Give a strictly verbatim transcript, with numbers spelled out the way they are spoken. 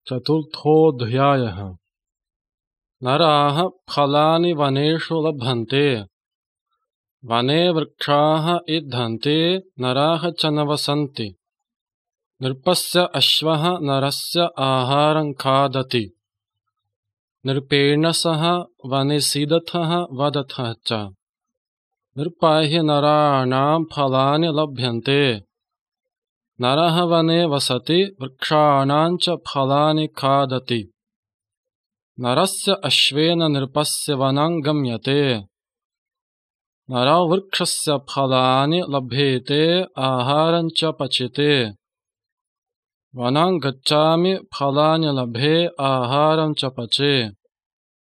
चतुर्थोऽध्यायः। नराः फलानि वनेषु लभन्ते। वने वृक्षाः इद्धन्ते, नराः च न वसन्ति। नृपस्य अश्वः नरस्य आहारं खादति। नृपेण सह वने सीदथः वदथः च। नृपैः नराणां फलानि लभ्यन्ते। नरः वने वसति, वृक्षाणां च फलानि खादति। नरस्य अश्वेन नृपस्य वनं गम्यते। नरो वृक्षस्य फलानि लभेते, आहारं च पचेते। वनं गच्छामि, फलानि लभे, आहारं च पचे।